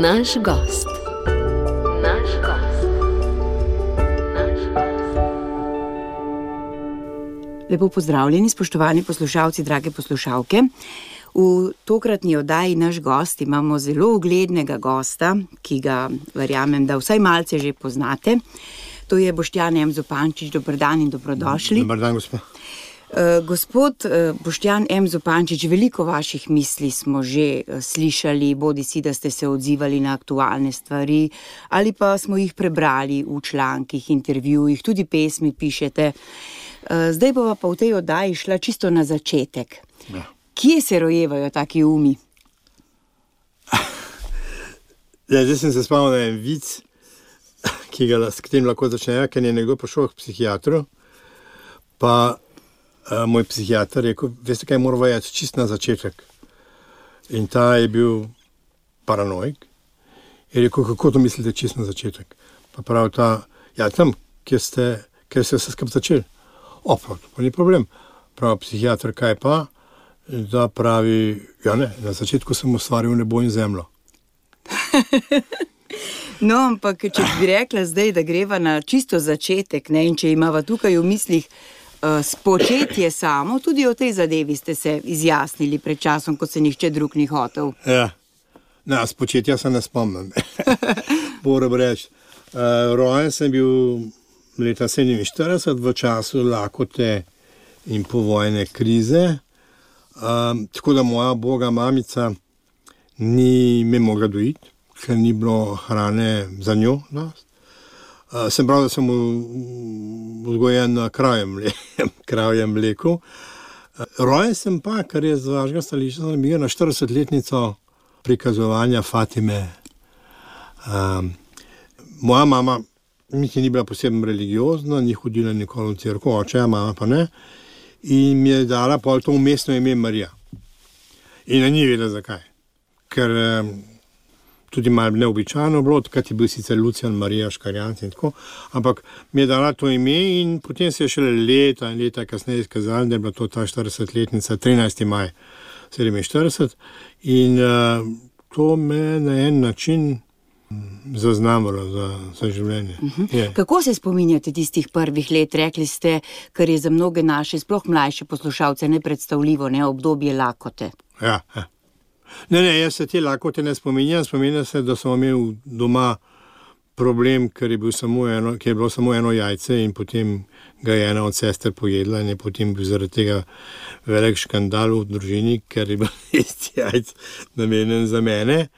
Naš gost. Lepo pozdravljeni, spoštovani poslušalci, drage poslušalke. V tokratni oddaji Naš gost imamo zelo uglednega gosta, ki ga verjamem, da vsaj malce že poznate. To je Boštjan M. Zupančič. Dober dan in dobrodošli. Dober dan, gospa. Gospod Boštjan M. Zupančič, veliko vaših misli smo že slišali, bodisi da ste se odzivali na aktualne stvari, ali pa smo jih prebrali v člankih, intervjujih, tudi pesmi pišete. Zdaj bova pa v tej oddaji šla čisto na začetek. Ja. Kje se rojevajo taki umi? Zdaj sem se spomnil na en vic, s katerim lahko začnejo, ker je nekdo prišel k psihiatru, pa moj psihiater rekel, veste kaj, mora vajati čist na začetek. In ta je bil paranoik. Je rekel, kako to mislite čist na začetek? Pa pravi ta, ja tam, kjer ste vse skupaj začeli. Prav, to pa ni problem. Pravi psihiater, kaj pa? Da pravi, ja ne, na začetku sem ustvaril nebo in zemljo. No, ampak če bi rekla zdaj, da greva na čisto začetek, ne, in če imava tukaj v mislih spočetje samo, tudi o tej zadevi ste se izjasnili pred časom, ko se nihče drug ni hotel. Ja, no, spočetja se ne spomnim. Moram reči, rojen sem bil leta 47 v času lakote in povojne krize, tako da moja boga mamica ni me mogla dojiti, ker ni bilo hrane za njo. Sem prav, da sem vzgojen na kravjem mleku. Rojen sem pa, kar je z vašega stališča zanimivo, na 40-letnico prikazovanja Fatime. Moja mama niti ni bila posebno religiozna, ni hodila nikoli v cerkev, oče, mama pa ne. In mi je dala pol to umestno ime Marija. In ni vedela zakaj. Ker tudi malo neobičajno bilo, takrat je bil sicer Lucijan, Marija, Škarjanc in tako, ampak mi je dala to ime in potem se je šele leta in leta kasneje izkazalo, da je bila to ta 40-letnica, 13. maj 47. In to me na en način zaznamalo za življenje. Kako se spominjate tistih prvih let? Rekli ste, kar je za mnoge naše, sploh mlajše poslušalce, nepredstavljivo, obdobje lakote. Ja. Ne, jaz se te lakote ne spominjam. Spominjam se, da smo imeli doma problem, ker je bilo samo eno jajce in potem ga je ena od sester pojedla in je potem bil zaradi tega velik škandal v družini, ker je bil isti jajc namenjen za mene.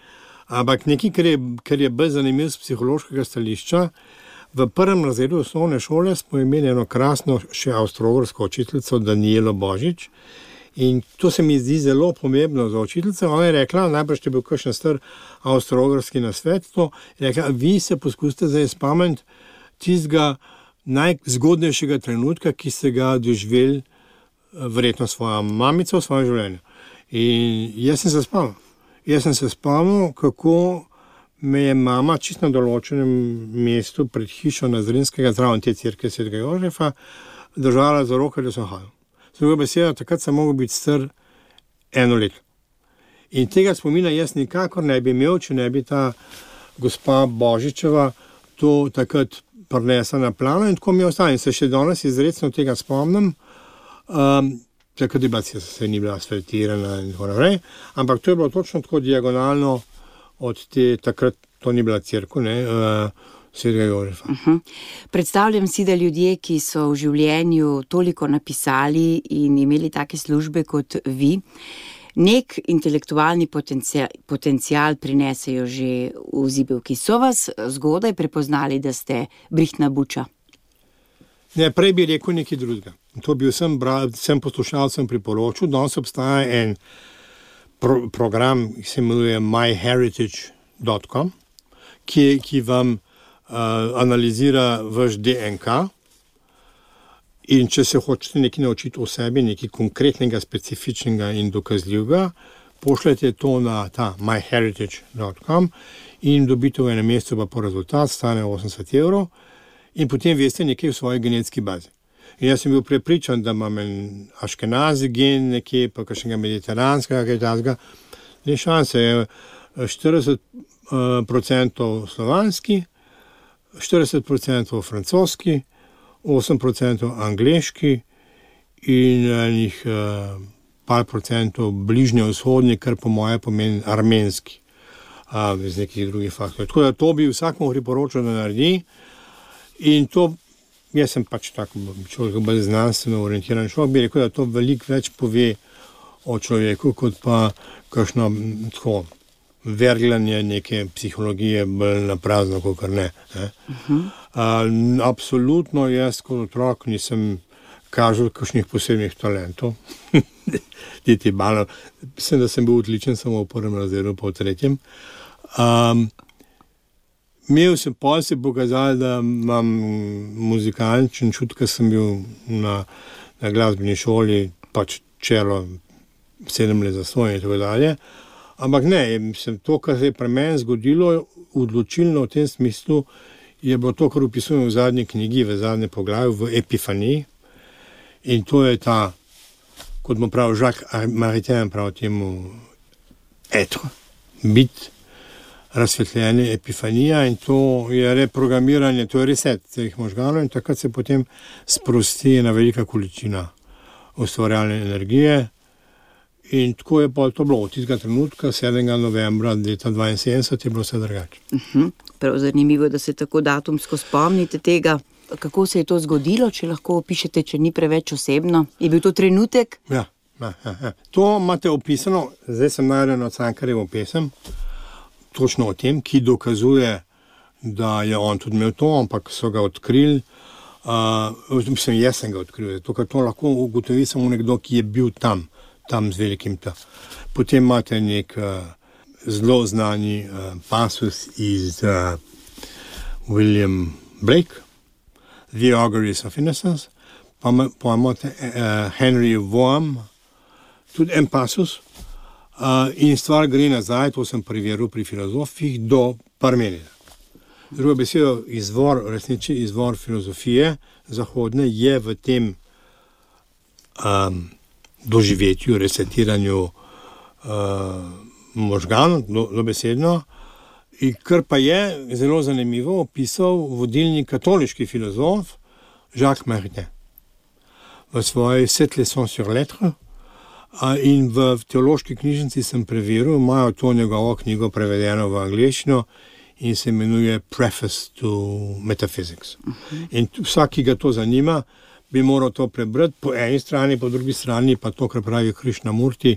Ampak nekaj, kar je bolj zanimivo z psihološkega stališča, v prvem razredu osnovne šole smo imeli eno krasno še avstro-ogrsko učiteljico Danijelo Božič in to se mi zdi zelo pomembno za učiteljico. Ona je rekla, najbrž je bil kakšen star avstro-ogrski nasvet, je rekla, vi se poskusite zdaj spomniti tistega najzgodnejšega trenutka, ki ste ga doživeli verjetno svoja mamica v svojem življenju. In jaz sem se spomnil, kako me je mama čisto na določenem mestu pred hišo Nazrinskega, zraven te cerkve Svetega Jožefa, držala za roko, da sem hodil. Z drugo besedo, takrat sem mogel biti star 1 leto. In tega spomina jaz nikakor ne bi imel, če ne bi ta gospa Božičeva to takrat prinesla na plano in tako mi je ostalo. In se še danes izrecno tega spomnim. Takrat je bila se ni bila asfaltirana in tako naprej, ampak to je bilo točno tako diagonalno od takrat to ni bila cerkev, Svetega Jožefa. Predstavljam si, da ljudje, ki so v življenju toliko napisali in imeli take službe kot vi, nek intelektualni potencial prinesejo že v zibelki. So vas zgodaj prepoznali, da ste brihtna buča? Ne, prej bi rekel nekaj drugega. To bi vsem poslušalcem priporočil. Danes obstaja en program, ki se imenuje myheritage.com, ki vam analizira vaš DNK in če se hočete nekaj naučiti o sebi, nekaj konkretnega, specifičnega in dokazljivega, pošljete to na ta myheritage.com in dobite v enem mesecu pa po rezultat, stane 80 €. In potem veste nekaj v svoji genetski bazi. In jaz sem bil prepričan, da imam en aškenazi gen nekje, pa kakšnega mediteranskega, kaj takega. Ni šanse. 40 40% slovanski, 40% francoski, 8% angleški in enih par procentov bližnjevzhodni, kar po moje pomeni armenski, iz nekih drugih faktorjev. Tako da to bi vsakmu priporočal, da naredi. In to, jaz sem pač tako človek, bolj znanstveno orientiran človek, bi rekel, da to veliko več pove o človeku, kot pa kakšno tako verglanje neke psihologije bolj na prazno, kakor ne. Absolutno jaz kot otrok nisem kažel kakšnih posebnih talentov. Mislim, da sem bil odličen samo v prvem razredu, pa v tretjem. Imel sem pol se pokazali, da imam muzikalničen čut, ker sem bil na glasbeni šoli, pač čelo 7 let zastonj in tako dalje. Ampak ne, mislim, to, kar se je pri meni zgodilo, odločilno v tem smislu, je bilo to, kar opisujem v zadnji knjigi, v zadnjem poglavju, v Epifaniji. In to je ta, kot mu pravi Jacques Maritain, pravi temu être, biti, razsvetljenje, epifanija, in to je reprogramiranje, to je reset teh možganov in takrat se potem sprosti ena velika količina ustvarjalne energije. In tako je pa to bilo od tistega trenutka, 7. novembra leta 1972, je bilo vse drugače. Prav zanimivo, da se tako datumsko spomnite tega. Kako se je to zgodilo, če lahko opišete, če ni preveč osebno? Je bil to trenutek? Ja. To imate opisano, zdaj sem najdel na Cankarjevo pesem, točno o tem, ki dokazuje, da je on tudi imel to, ampak so ga odkrili. Jaz sem ga odkril, zato ker to lahko ugotovi samo nekdo, ki je bil tam z velikim T. Potem imate nek zelo znani pasus iz William Blake, The Auguries of Innocence, pa imate Henry Vaughan, tudi en pasus, in stvar gre nazaj, to sem preveril pri filozofih, do Parmenida. Druga beseda, resnični izvor filozofije zahodne je v tem doživetju, resetiranju možganov, dobesedno, in kar pa je zelo zanimivo opisal vodilni katoliški filozof Jacques Maritain v svoji Sept leçons sur l'être, in v teološki knjižnici sem preveril, imajo to njegovo knjigo prevedeno v angleščino in se imenuje Preface to Metaphysics. In vsak, ki ga to zanima, bi moral to prebrati, po eni strani, po drugi strani pa to, kar pravi Krishnamurti,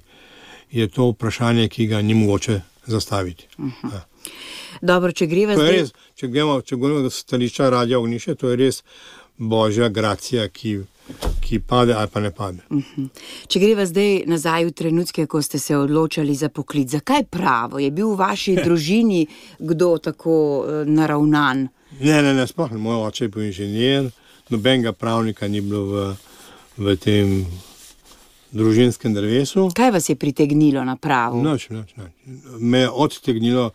je to vprašanje, ki ga ni mogoče zastaviti. Dobro, če greva zdaj... Če govorimo do stališča Radia Ognjišče, to je res božja gracija, ki pade ali pa ne pade. Če greva zdaj nazaj v trenutke, ko ste se odločali za poklic, zakaj pravo? Je bil v vaši družini kdo tako naravnan? Ne, sploh ne. Moj oče je bil inženir, nobenega pravnika ni bilo v tem družinskem drevesu. Kaj vas je pritegnilo na pravo? Nič. Me je odtegnilo.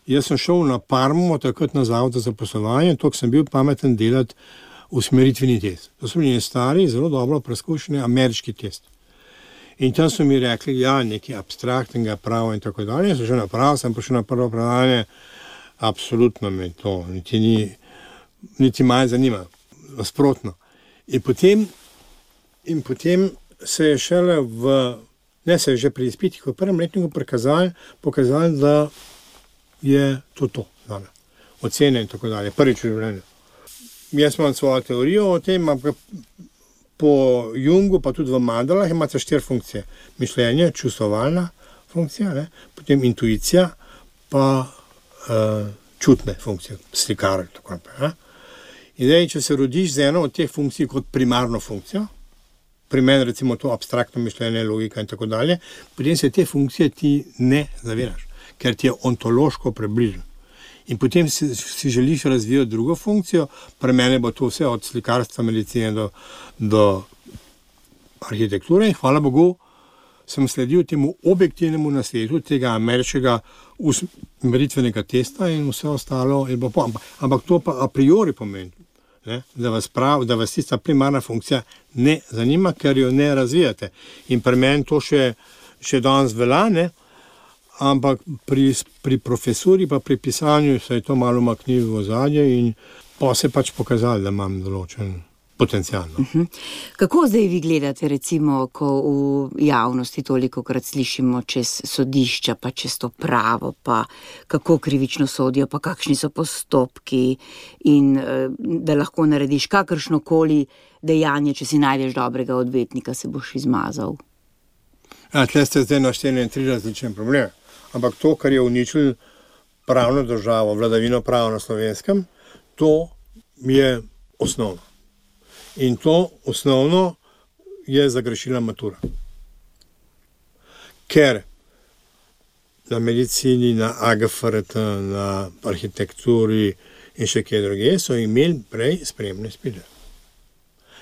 Jaz sem šel na Parmo, takrat na zavod za zaposlovanje, toliko sem bil pameten delati usmeritveni test. To so bili stari, zelo dobro preizkušeni ameriški test. In tam so mi rekli, nekaj abstraktnega prava in tako dalje. Sem šel na pravo, sem prišel na prvo predavanje, absolutno me to niti malo zanima, nasprotno. In potem se je šele se je že pri izpitih v prvem letniku pokazali, da je to zame. Ocene in tako dalje, prvič v življenju. Jaz imam svojo teorijo o tem, ampak po Jungu, pa tudi v mandalah, imate 4 funkcije. Mišljenje, čustvovalna funkcija, potem intuicija, pa čutne funkcije, slikar in tako naprej. In zdaj, če se rodiš z eno od teh funkcij kot primarno funkcijo, pri meni recimo to abstraktno mišljenje, logika in tako dalje, potem se te funkcije ti ne zaviraš, ker ti je ontološko približen. In potem si želiš razvijati drugo funkcijo, pri meni bo to vse od slikarstva, medicine do arhitekture in hvala Bogu sem sledil temu objektivnemu nasvetu tega ameriškega usmeritvenega testa in vse ostalo je bilo ampak to pa a priori pomeni, da vas tista primarna funkcija ne zanima, ker jo ne razvijate. In pri meni to še danes velja, ampak pri profesuri pa pri pisanju se je to malo maknilo v ozadje in pa se pač pokazalo, da imam določen potencial. Kako zdaj vi gledate, recimo, ko v javnosti tolikokrat slišimo čez sodišča, pa čez to pravo, pa kako krivično sodijo, pa kakšni so postopki in da lahko narediš kakršnokoli dejanje, če si najdeš dobrega odvetnika, se boš izmazal? Tle ste zdaj našteli 3 različne probleme. Ampak to, kar je uničilo pravno državo, vladavino prava na Slovenskem, to je osnovno. In to osnovno je zagrešila matura. Ker na medicini, na AGFRT, na arhitekturi in še kje druge so imeli prej sprejemne izpite.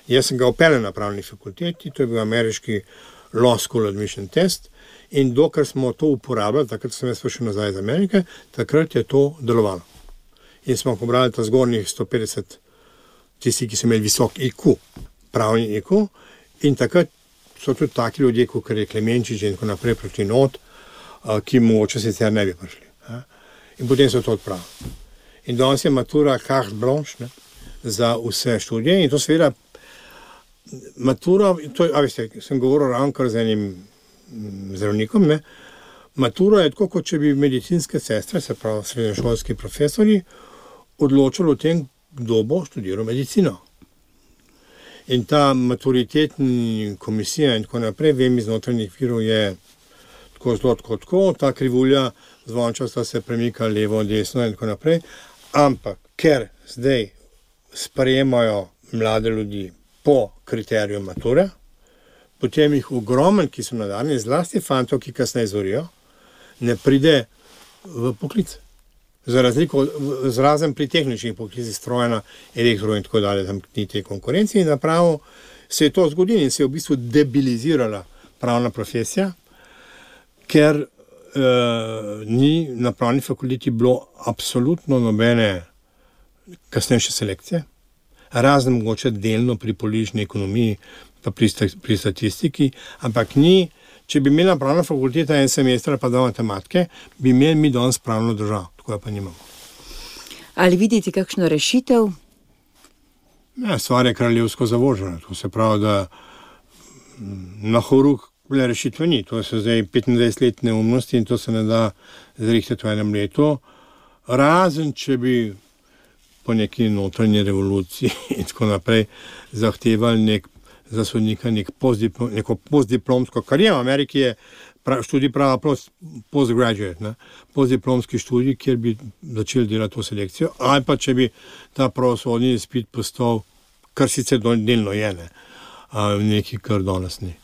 Jaz sem ga upeljal na pravni fakulteti, to je bil ameriški Law School Admission Test in dokler smo to uporabljali, takrat sem jaz prišel nazaj iz Amerike, takrat je to delovalo. In smo pobrali ta zgornjih 150 tisti, ki so imeli visok IQ, pravni IQ, in takrat so tudi taki ljudje, kot je Klemenčič in tako naprej proti not, ki mogoče sicer ne bi prišli. In potem so to odpravili. In danes je matura carte blanche za vse študije in to seveda matura, veste, sem govoril ravnokar z enim zdravnikom, matura je tako, kot če bi medicinske sestre, se pravi srednješolski profesori, odločili o tem, kdo bo študiral medicino. In ta maturitetna komisija in tako naprej, vem iz notranjih virov, je tako zelo tako, ta krivulja zvončasta se premika levo, desno in tako naprej, ampak ker zdaj sprejemajo mlade ljudi po kriteriju mature, potem jih ogromen, ki so nadarjeni, zlasti fantov, ki kasneje zvorijo, ne pride v poklic. Za razliko, zrazen pri tehničnih poklicih, strojna, elektro in tako dalje, tam ni te konkurence in napravo se je to zgodilo in se je v bistvu debilizirala pravna profesija, ker ni na pravni fakulteti bilo absolutno nobene kasnejše selekcije, razen mogoče delno pri politični ekonomiji pa pri statistiki, ampak ni, če bi imela pravna fakulteta en semester pa 2 matematike, bi imeli mi danes pravno državo. Tako pa nimamo. Ali vidite kakšno rešitev? Ja, stvar je kraljevsko zavožena. To se pravi, da na horuk rešitve ni. To so zdaj 25 let neumnosti in to se ne da zrihtati v enem letu. Razen, če bi po neki notranji revoluciji in tako naprej zahtevali za sodnika neko postdiplomsko kariero. V Ameriki je študij prava postgraduate, postdiplomski študij, kjer bi začeli delati to selekcijo, ali pa če bi ta pravosodni izpit postal, kar sicer delno je, nekaj, kar danes ni.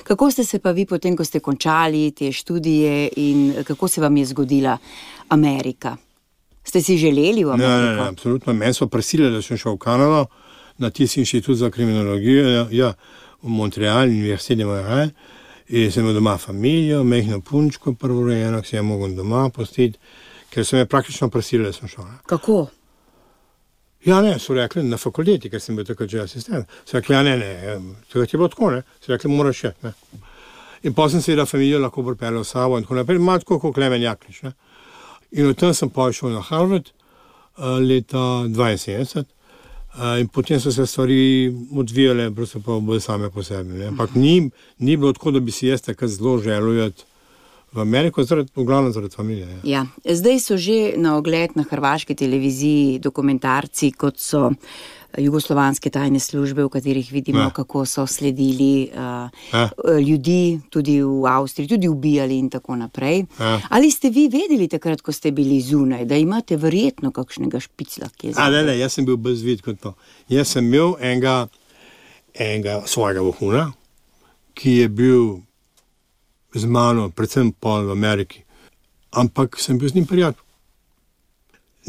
Kako ste se pa vi potem, ko ste končali te študije in kako se vam je zgodila Amerika? Ste si želeli v Ameriko? Ne, absolutno. Meni so prisilili, da sem šel v Kanado, na tisti inštitut za kriminologijo, v Montreal, Univerzite de Montréal, in sem imel doma familijo, mehno punčko, prvorojeno, ki sem jo mogel doma pustiti, ker so me praktično prisilili, da sem šel. Kako? Ja, ne, so rekli na fakulteti, ker sem bil takrat že asistent. So rekli, ja, ne, takrat je bilo tako, so rekli, moraš še, In potem sem seveda familijo lahko pripeljal v sabo in tako naprej, malo tako kot Klemen Jaklič, In od tam sem šel na Harvard leta 72 in potem so se stvari odvijale bolj same po sebi. Ampak ni bilo tako, da bi si jaz takrat zelo želel v Ameriko, v glavnem zaradi familije. Ja. Zdaj so že na ogled na hrvaški televiziji dokumentarci, kot so jugoslovanske tajne službe, v katerih vidimo, kako so sledili ljudi, tudi v Avstriji, tudi ubijali in tako naprej. Ali ste vi vedeli takrat, ko ste bili zunaj, da imate verjetno kakšnega špicla, ki je zdaj? Ne, jaz sem bil brez vid kot to. Jaz sem imel enega svojega vohuna, ki je bil z mano, predvsem pa v Ameriki, ampak sem bil z njim prijatelj.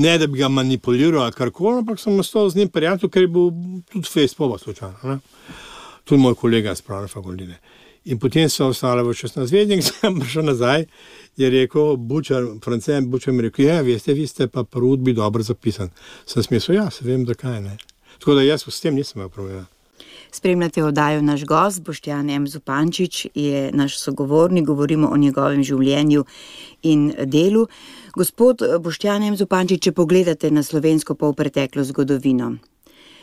Ne, da bi ga manipuliral ali karkoli, ampak sem ostal z njim prijatelj, ker je bil tudi Facebook slučajno. Tudi moj kolega iz pravne fakultete. In potem so ostali v 16 zvezdnik, sem prišel nazaj, je rekel, Francen Bučar mi rekel, veste, vi ste pa pri udbi dobro zapisan. Sem smisel, se vem, zakaj ne. Tako da jaz s tem nisem imel problema. Spremljate oddajo Naš gost, Boštjan M. Zupančič je naš sogovornik, govorimo o njegovem življenju in delu. Gospod Boštjan M. Zupančič, če pogledate na slovensko polpreteklo zgodovino,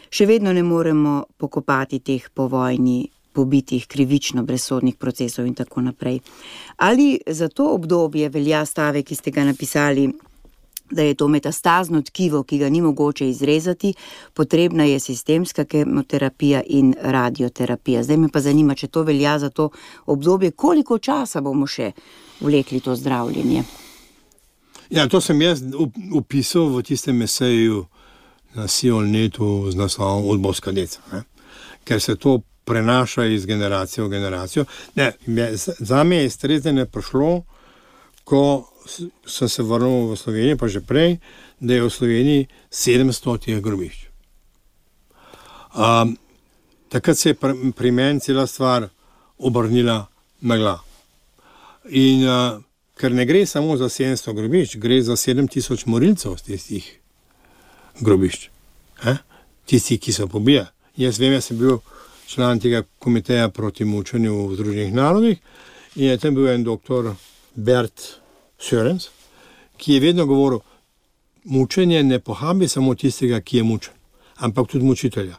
še vedno ne moremo pokopati teh po vojni pobitih, krivično brezsodnih procesov in tako naprej. Ali za to obdobje velja stavek, ki ste ga napisali, da je to metastazno tkivo, ki ga ni mogoče izrezati, potrebna je sistemska kemoterapija in radioterapija. Zdaj me pa zanima, če to velja za to obdobje, koliko časa bomo še vlekli to zdravljenje? Ja, to sem jaz opisal v tistem eseju na Sionnetu z naslovom Udbovska deca, ne? Ker se to prenaša iz generacije v generacijo. Ne, za me je streznjenje prišlo, ko sem se vrnil v Slovenijo, pa že prej, da je v Sloveniji 700 teh grobišč. Takrat se je pri meni cela stvar obrnila na glavo. In ker ne gre samo za 700 grobišč, gre za 7000 morilcev z tistih grobišč. Tisti, ki so pobijali. Jaz vem, jaz sem bil član tega komiteja proti mučenju v Združenih narodih in je tam bil en doktor Bert Sørens, ki je vedno govoril, mučenje ne pohabi samo tistega, ki je mučen, ampak tudi mučitelja.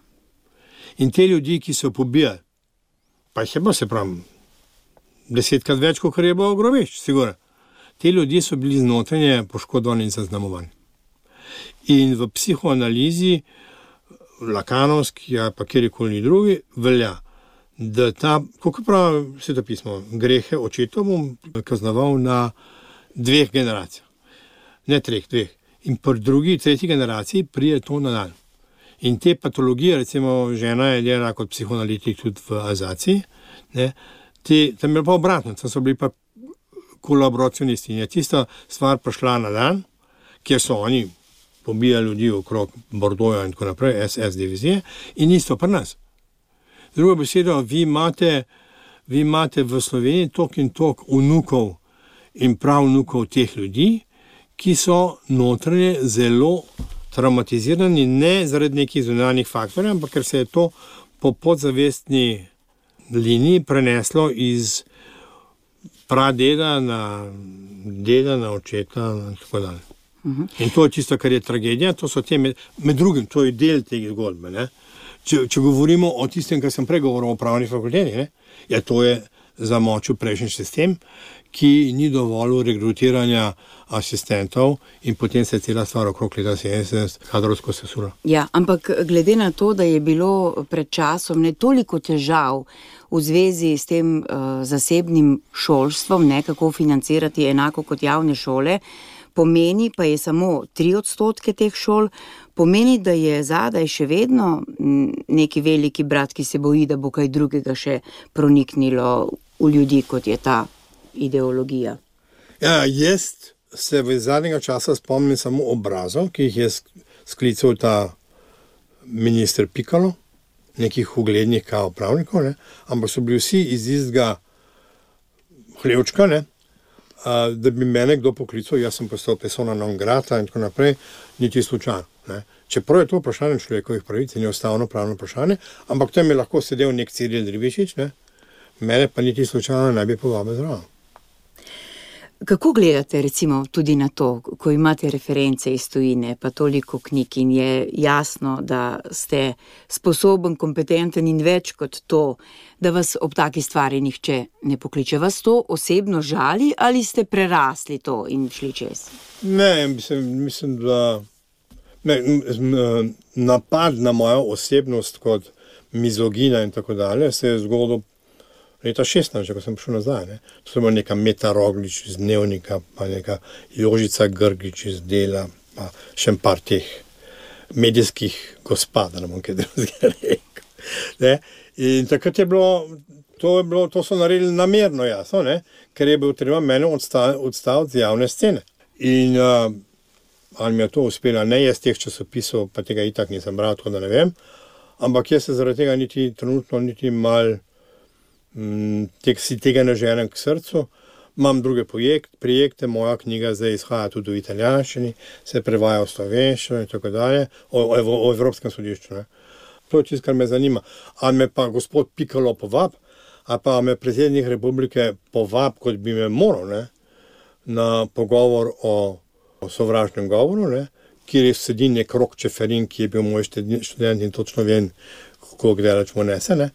In te ljudi, ki so pobijali, pa jih je bilo, se pravi, 10krat več, kot je bilo grobišč, sigurno. Te ljudje so bili znotranje poškodovani in zaznamovani. In v psihoanalizi Lakanovski, pa kjerikoli drugi, velja, da kako pravi svetopismo, grehe očetov bom kaznoval na 2 generacijah. Ne 3, 2. In pri drugi, tretji generaciji prije to na dan. In te patologije, recimo žena je delala kot psihoanalitik tudi v Azaciji, ne, tam je pa obratno, tam so bili pa kolaboracionisti. In je tista stvar prišla na dan, kjer so oni pobijali ljudi okrog Bordoja in tako naprej, SS divizije, in isto pri nas. Drugo besedo, vi imate v Sloveniji tok in tok vnukov in pravnukov teh ljudi, ki so notranje zelo traumatizirani, ne zaradi nekih zunanjih faktorjev, ampak ker se je to po podzavestni liniji preneslo iz pradeda na deda, na očeta in tako dalje. In to je tisto, kar je tragedija, to so med drugim, to je del tega zgodbe. Ne? Če govorimo o tistem, kar sem prej govoril o pravni fakulteti, ne? Ja, to je zamočil prejšnji sistem, ki ni dovolil rekrutiranja asistentov in potem se je cela stvar okrog leta 70 kadrovsko sesula. Ja, ampak glede na to, da je bilo pred časom ne toliko težav v zvezi s tem zasebnim šolstvom, ne, kako financirati enako kot javne šole, pomeni pa je samo 3% teh šol, pomeni, da je zadaj še vedno neki veliki brat, ki se boji, da bo kaj drugega še proniknilo v ljudi, kot je ta ideologija. Ja, jaz se v zadnjega časa spomnim samo obrazov, ki jih je sklical ta minister Pikalo, nekih uglednih kao pravnikov, ne? Ampak so bili vsi iz istega hlevčka, ne? Da bi mene kdo poklical, jaz sem postal persona non grata in tako naprej, niti slučajno. Ne? Čeprav je to vprašanje človekovih pravic, ni ustavno pravno vprašanje, ampak tam je lahko sedel nek Ciril Ribičič, ne? Mene pa niti slučajno ne bi povabil zraven. Kako gledate recimo tudi na to, ko imate reference iz tujine, pa toliko knjig in je jasno, da ste sposoben, kompetenten in več kot to, da vas ob taki stvari nihče ne pokliče? Vas to osebno žali ali ste prerasli to in šli čez? Ne, mislim, da napad na mojo osebnost kot mizogina in tako dalje se je zgodil leta 16, ko sem prišel nazaj. Ne? To so bila neka Meta Roglič iz Dnevnika, pa neka Jožica Grgič iz Dela, pa še par teh medijskih gospod, da ne bom kaj drugega rekel. Ne? In takrat je bilo, to so naredili namerno jasno, ne? Ker je bil treba mene odstaviti z javne scene. In ali mi je to uspelo, ne, jaz teh časopisov, pa tega itak nisem bral, tako da ne vem, ampak jaz se zaradi tega niti trenutno, niti mal si tega ne ženem k srcu. Imam druge projekte, moja knjiga zdaj izhaja tudi v italijanščini, se prevaja v slovenščino in tako dalje, o Evropskem sodišču. Ne. To je tisto, kar me zanima. Ali me pa gospod Pikalo povab, ali pa me predsednik republike povab, kot bi me moral, ne, na pogovor o sovražnem govoru, ne, kjer sedi nek Rok Čeferin, ki je bil moj študent in točno vem, kako gledalač mu nese, ne,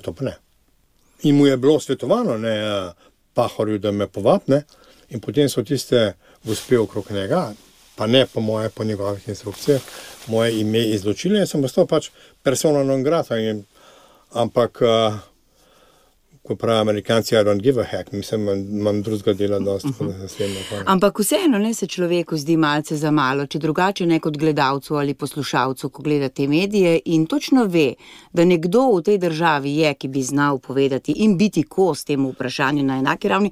to pa ne. In mu je bilo svetovano, ne, Pahorju, da me povab, ne, in potem so tiste gospe okrog njega, pa ne po moje, po njegovih instrukcijah, moje ime izločili, jaz sem postal pač persona non grata, ampak, ko pravi Amerikanci, I don't give a heck, mislim, imam drugega dela dosti, da se sledno. Ampak vseeno ne se človeku zdi malce za malo, če drugače ne kot gledalcu ali poslušalcu, ko gleda te medije in točno ve, da nekdo v tej državi je, ki bi znal povedati in biti kos temu vprašanju na enaki ravni,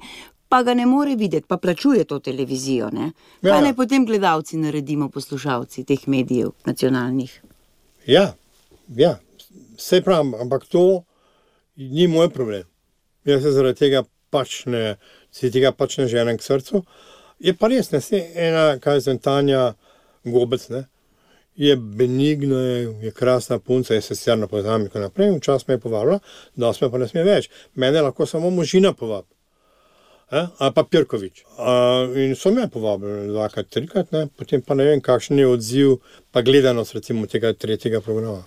pa ga ne more videti, pa plačuje to televizijo, ne? Kaj naj potem gledalci naredimo, poslušalci teh medijev nacionalnih? Ja, saj pravim, ampak to ni moj problem. Jaz se zaradi tega pač ne ženem k srcu. Je pa res, ne, ena Tanja Gobec, ne, je benigna, je krasna punca, je socialno poznam in tako naprej, včasih me je povabila, danes me pa ne sme več. Mene lahko samo možina povab. Ali pa Pirkovič. In so me povabili 2-krat, 3-krat, ne, potem pa ne vem, kakšen je odziv, pa gledanost recimo tega 3. programa.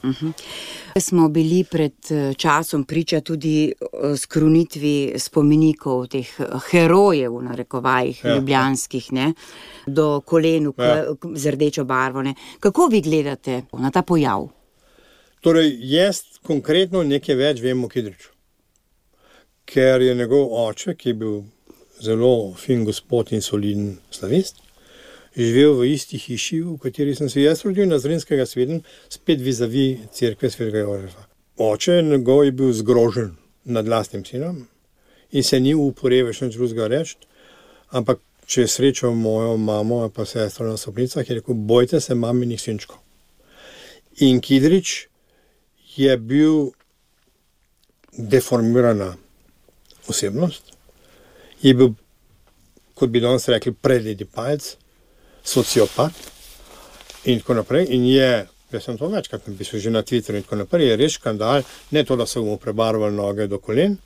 Smo bili pred časom priča tudi skrunitvi spomenikov teh herojev, v narekovajih, ljubljanskih, ne, do kolenu z rdečo barvo, ne. Kako vi gledate na ta pojav? Torej, jaz konkretno nekaj več vem o Kidriču. Ker je njegov oče, ki je bil zelo fin gospod in soliden slavist, živel v isti hiši, v kateri sem se jaz rodil na Zrinskega sveden, spet vizavi cerkve Svetega Jožefa. Oče njegov je bil zgrožen nad lastnim sinom in se ni upal več nič drugega reči, ampak če je srečal mojo mamo pa sestro na stopnicah, je rekel, bojte se maminih sinčkov. In Kidrič je bil deformirana osebnost, je bil, kot bi danes rekli, predledi palc, sociopat in tako naprej. In jaz sem to večkrat napisal že na Twitterju in tako naprej, je res škandal, ne to, da so mu prebarvali noge do kolen,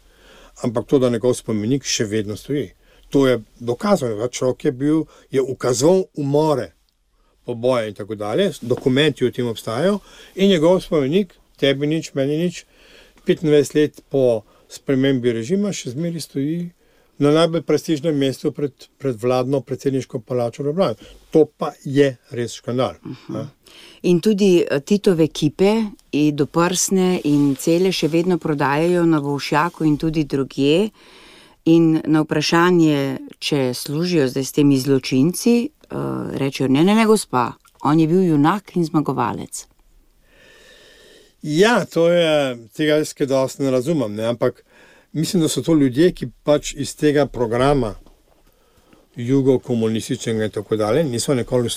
ampak to, da njegov spomenik še vedno stoji. To je dokazano, da človek je ukazoval umore, poboje in tako dalje, dokumenti o tem obstajajo in njegov spomenik, tebi nič, meni nič, 25 let po spremembi režima še zmeri stoji na najbolj prestižnem mestu pred vladno predsedniško palačo v Ljubljani. To pa je res škandal. In tudi Titove kipe do prsne in cele še vedno prodajajo na Volšjaku in tudi drugje. In na vprašanje, če služijo zdaj s temi zločinci, rečejo, ne, gospa, on je bil junak in zmagovalec. Ja, to je, tega jaz kaj dosti ne razumem, ne, ampak mislim, da so to ljudje, ki pač iz tega programa jugo-komunističnega in tako dalje niso nikoli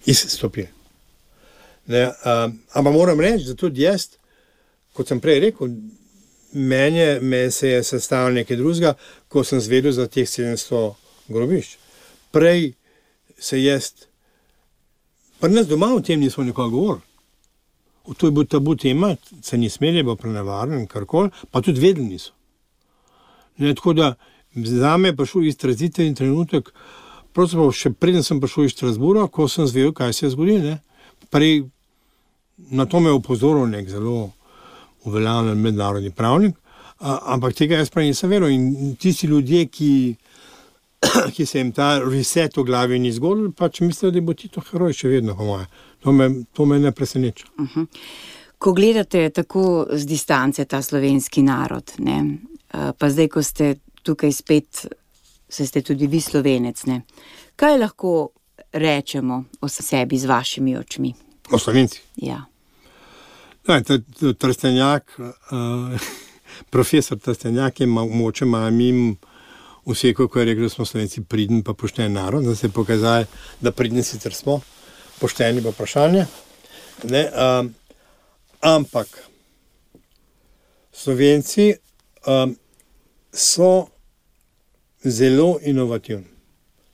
izstopili. Ampak moram reči, da tudi jaz, kot sem prej rekel, me se je sestavil nekaj drugega, ko sem zvedel za teh 700 grobišč. Prej se jaz, pri nas doma o tem nismo nikoli govorili. To je bil tabu tema, se ni smeli, je bilo prenevarno in karkoli, pa tudi vedeli niso. Ne, tako da zame je prišel izraziten trenutek, pravzaprav še preden sem prišel iz Strasbourga, ko sem zvedel, kaj se je zgodilo. Prej na to me je opozoril nek zelo uveljavljen mednarodni pravnik, ampak tega jaz prej nisem veril. In tisti ljudje, ki se jim ta reset v glavi ni zgodil, pač mislijo, da bo Tito heroj še vedno, po moje. To me ne preseneča. Ko gledate tako z distance ta slovenski narod, ne, pa zdaj, ko ste tukaj spet, ste tudi vi Slovenec, ne, kaj lahko rečemo o sebi z vašimi očmi? O Slovenci? Ja. Trstenjak, profesor Trstenjak je moče mim vse, ko je rekel, da smo Slovenci priden pa pošten narod, da se je pokazali, da pridni sicer smo, pošteni pa vprašanje. Ampak Slovenci so zelo inovativni,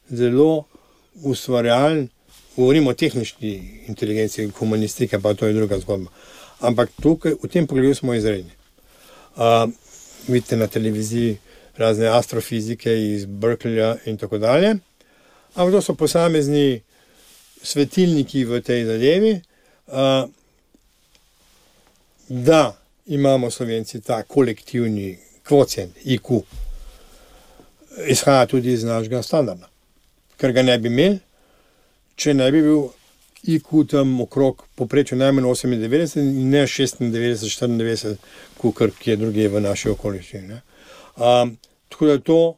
zelo ustvarjalni govorimo o tehnični inteligenci, humanistike, pa to je druga zgodba. Ampak tukaj, v tem pogledu smo izredni. Vidite na televiziji razne astrofizike iz Berkeleyja in tako dalje. Ampak to so posamezni svetilniki v tej zadevi, da imamo Slovenci ta kolektivni kvocient, IQ, izhaja tudi iz našega standarda. Ker ga ne bi imeli, če ne bi bil IQ tam okrog poprečju najmanj 98 in ne 96, 94, kukor kje druge v naši okoliščini. Tako da to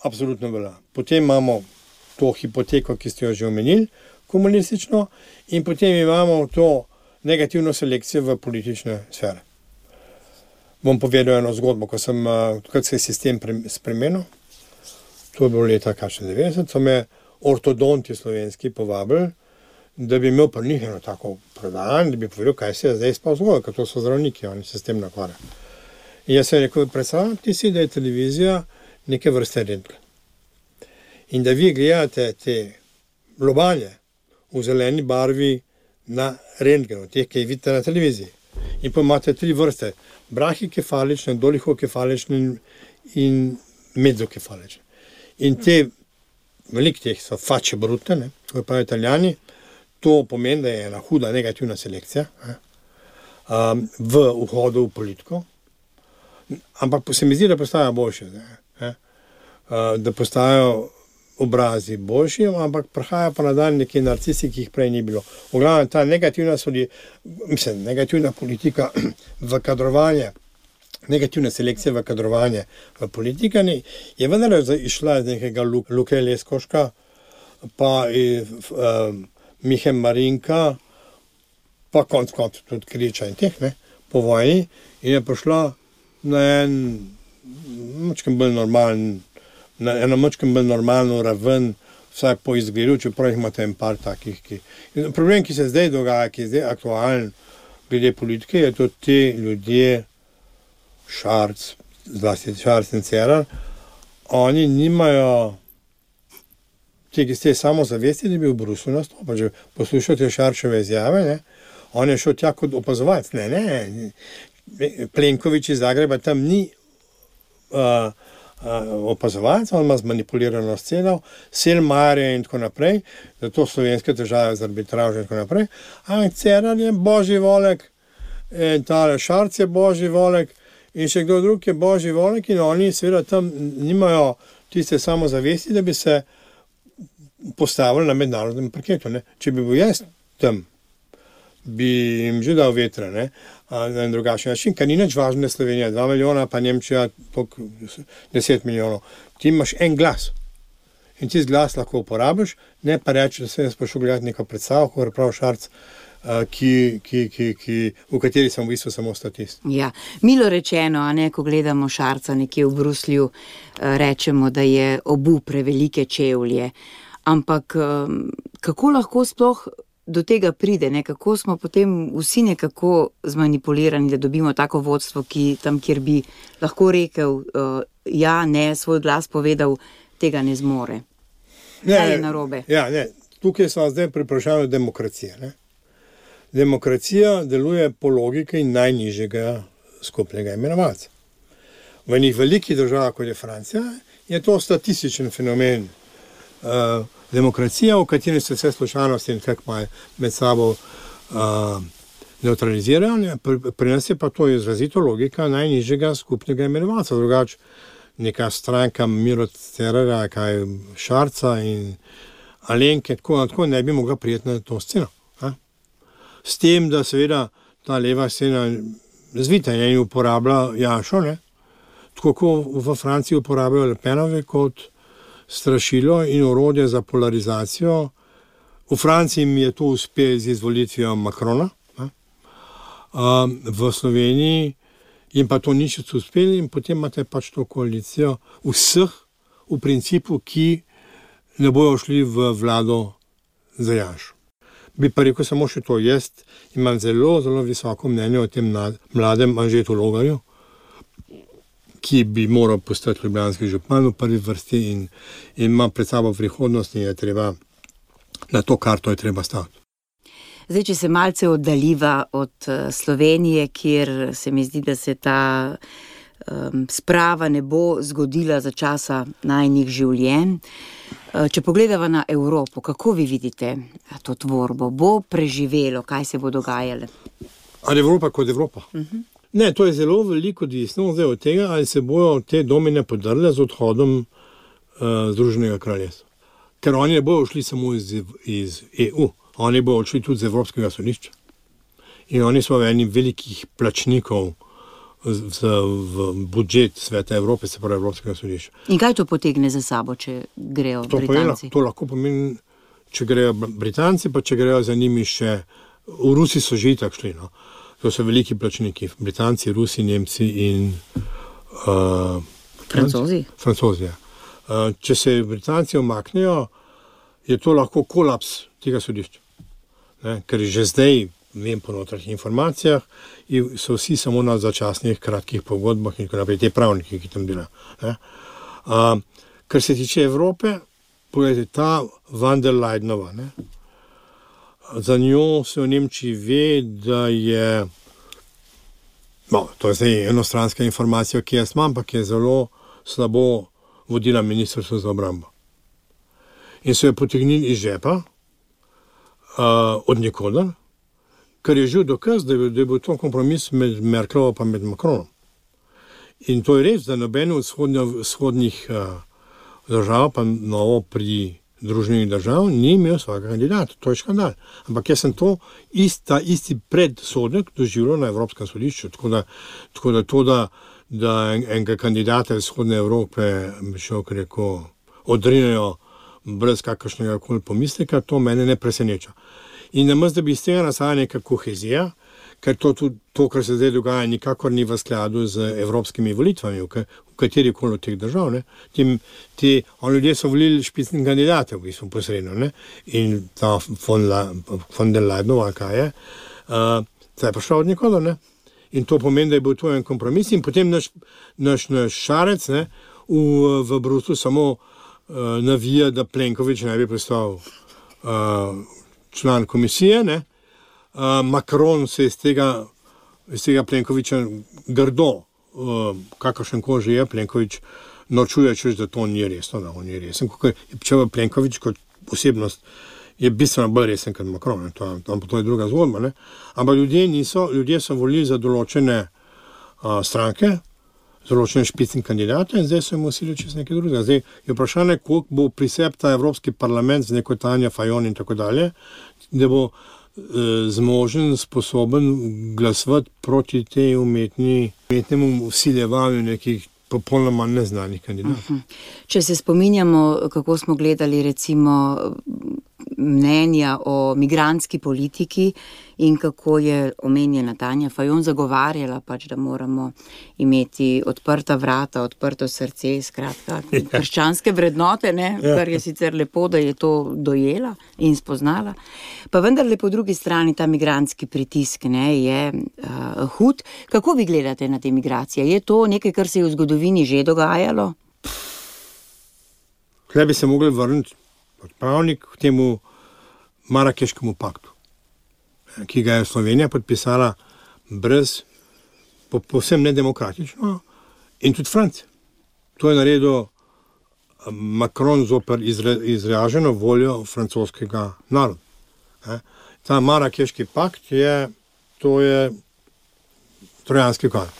absolutno velja. Potem imamo to hipoteko, ki ste jo že omenili, komunistično, in potem imamo to negativno selekcijo v politične sfere. Bom povedal eno zgodbo, ko se je sistem spremenil, to je bilo leta 90, so me ortodonti slovenski povabili, da bi imel pri njih eno tako predavanje, da bi povedal, kaj se je zdaj sploh zgodilo, ker to so zdravniki, oni se s tem nakvarjajo. In jaz sem rekel, predstavljati si, da je televizija neke vrste rentgen. In da vi gledate te lobanje v zeleni barvi na rentgenu, teh, ki jih vidite na televiziji. In pa imate 3 vrste, brahikefalične, dolikokefalične in mezokefalične. In te, veliko teh so facce brute, kot pravijo Italijani, to pomeni, da je ena huda negativna selekcija v vhodu v politiko. Ampak se mi zdi, da postajajo boljše. Da postajajo obrazi boljši, ampak prihaja pa na dan neki narcisi, ki jih prej ni bilo. V glavnem, ta negativna politika v kadrovanje, negativna selekcija v kadrovanje v politikani je vendar išla iz nekega Luke Leskoška, pa Mihe Marinka, pa konc tudi Kriča in teh, po vojni, in je prišla na eno mačkem bolj normalno raven, vsaj po izgledu, čeprav jih imate en par takih. Problem, ki se zdaj dogaja, ki je zdaj aktualen glede politike, je to te ljudje, Šarc, zlasti Šarc in Cerar, oni nimajo te samozavesti, da bi v Bruslju nastopil. Če poslušate Šarčeve izjave, on je šel tja kot opazovalec. Plenković iz Zagreba tam ni opazovalec, on ima zmanipulirano sceno, Selmayr in tako naprej, zato slovenske težave z arbitražo in tako naprej. Ampak Cerar je božji volek, tale Šarc je božji volek in še kdo drug je božji volek in oni seveda tam nimajo tiste samozavesti, da bi se postavili na mednarodnem parketu. Če bi bil jaz tam, bi jim že dal vetra, na en drugačen način, ker ni nič važno, Slovenija 2 milijona, pa Nemčija 10 milijonov. Ti imaš en glas in ti glas lahko uporabiš, ne pa reči, da sem jaz prišel gledati neko predstavo, kot prav Šarc, v kateri sem v bistvu samo statist. Ja, milo rečeno, ko gledamo Šarca nekje v Bruslju, rečemo, da je obul prevelike čevlje. Ampak kako lahko sploh do tega pride, kako smo potem vsi nekako zmanipulirani, da dobimo tako vodstvo, ki tam, kjer bi lahko rekel, svoj glas povedal, tega ne zmore. Kaj je narobe? Tukaj smo zdaj pri vprašanju demokracije. Demokracija deluje po logiki najnižjega skupnega imenovalca. V enih velikih državah, kot je Francija, je to statističen fenomen. Demokracija, v kateri se vse slučajnosti in kako med sabo neutralizirajo, pri nas je pa to izrazito logika najnižjega skupnega imenovalca. Drugače, neka stranka Miro Cerarja, kaj Šarca in Alenke, tako ne bi mogla prijeti na to sceno. S tem, da seveda ta leva scena zvita in uporablja Janšo, tako kot v Franciji uporabljajo Le Penovi kot strašilo in orodje za polarizacijo. V Franciji mi je to uspelo z izvolitvijo Macrona, v Sloveniji jim pa to nič uspelo in potem imate pač to koalicijo vseh v principu, ki ne bojo šli v vlado za Janšo. Bi pa rekel samo še to, jaz imam zelo, zelo visoko mnenje o tem mladem Anžetu Logarju, ki bi moral postati ljubljanski župan v prvi vrsti in ima pred sabo prihodnost in je treba Na to karto je treba staviti. Zdaj, če se malce oddaljiva od Slovenije, kjer se mi zdi, da se ta sprava ne bo zgodila za časa najnih življenj. Če pogledava na Evropo, kako vi vidite to tvorbo? Bo preživelo, kaj se bo dogajalo? Ali Evropa kot Evropa? Ne, to je zelo veliko odvisno od tega, ali se bojo te domine podrle z odhodom Združenega kraljestva. Ker oni ne bojo šli samo iz EU, oni bojo šli tudi z Evropskega sodišča. In oni so eni velikih plačnikov v budžet Sveta Evrope, se pravi Evropskega sodišča. In kaj to potegne za sabo, če grejo Britanci? To lahko pomeni, če grejo Britanci, pa če grejo za njimi še, v Rusiji so že itak šli, no. To so veliki plačniki, Britanci, Rusi, Nemci in Francozi, ja. Če se Britanci omaknejo, je to lahko kolaps tega sodišča. Ne? Ker že zdaj, vem po notranjih informacijah, so vsi samo na začasnih kratkih pogodbah in tako naprej, te pravniki, ki tam delajo. Kar se tiče Evrope, pogledajte, ta van der Leyenova, ne? Za njo se v Nemčiji ve, da je, to je zdaj enostranska informacija, ki jaz imam, ampak je zelo slabo vodila ministrstvo za obrambo. In so jo potegnili iz žepa, od nikoder, ker je živ dokaz, da je bil to kompromis med Merklovo pa med Macronom. In to je res, da nobeno od vzhodnih držav, pa novo pri Združenih držav, ni imel svojega kandidata. To je škandal. Ampak jaz sem to isti predsodek doživljal na Evropskem sodišču. Tako da enega kandidata iz vzhodne Evrope odrinejo brez kakršnega koli pomisleka, to mene ne preseneča. In namesto, da bi iz tega nastala neka kohezija, ker to, kar se zdaj dogaja, nikakor ni v skladu z evropskimi volitvami, v kateri koli od teh držav. Ljudje so volili špicne kandidate, v bistvu posredno. Ne? In ta von der Leyenova, kaj je, ta je prišla od nikoder. Ne? In to pomeni, da je bil to en kompromis. In potem naš Šarec, ne, v Bruslju samo navija, da Plenković ne bi postal član komisije, ne. Macron se iz tega Plenkovića grdo, kakršen koži je, Plenković norčuje, češ, da to ni resno, da on je resen. Če pa Plenković kot osebnost je bistveno bolj resen kot Macron, to je druga zgodba, ne. Ampak ljudje so volili za določene stranke, določene špicne kandidate in zdaj so jim usili čez nekaj drugega. Zdaj je vprašanje, koliko bo prisep ta Evropski parlament z neko Tanja Fajon in tako dalje, da bo zmožen, sposoben glasovati proti tej umetnemu vsiljevanju nekih popolnoma neznanih kandidatov. Če se spominjamo, kako smo gledali recimo mnenja o migrantski politiki in kako je omenjena Tanja Fajon zagovarjala pač, da moramo imeti odprta vrata, odprto srce, skratka, krščanske vrednote, ne? Kar je sicer lepo, da je to dojela in spoznala. Pa vendarle po drugi strani ta migrantski pritisk, ne, je hud. Kako vi gledate na te migracije? Je to nekaj, kar se je v zgodovini že dogajalo? Tukaj bi se mogli vrniti odpravnik k temu Marakeškemu paktu, ki ga je Slovenija podpisala povsem nedemokratično in tudi Francija. To je naredil Macron zoper izraženo voljo francoskega naroda. Ta Marakeški pakt je trojanski konj.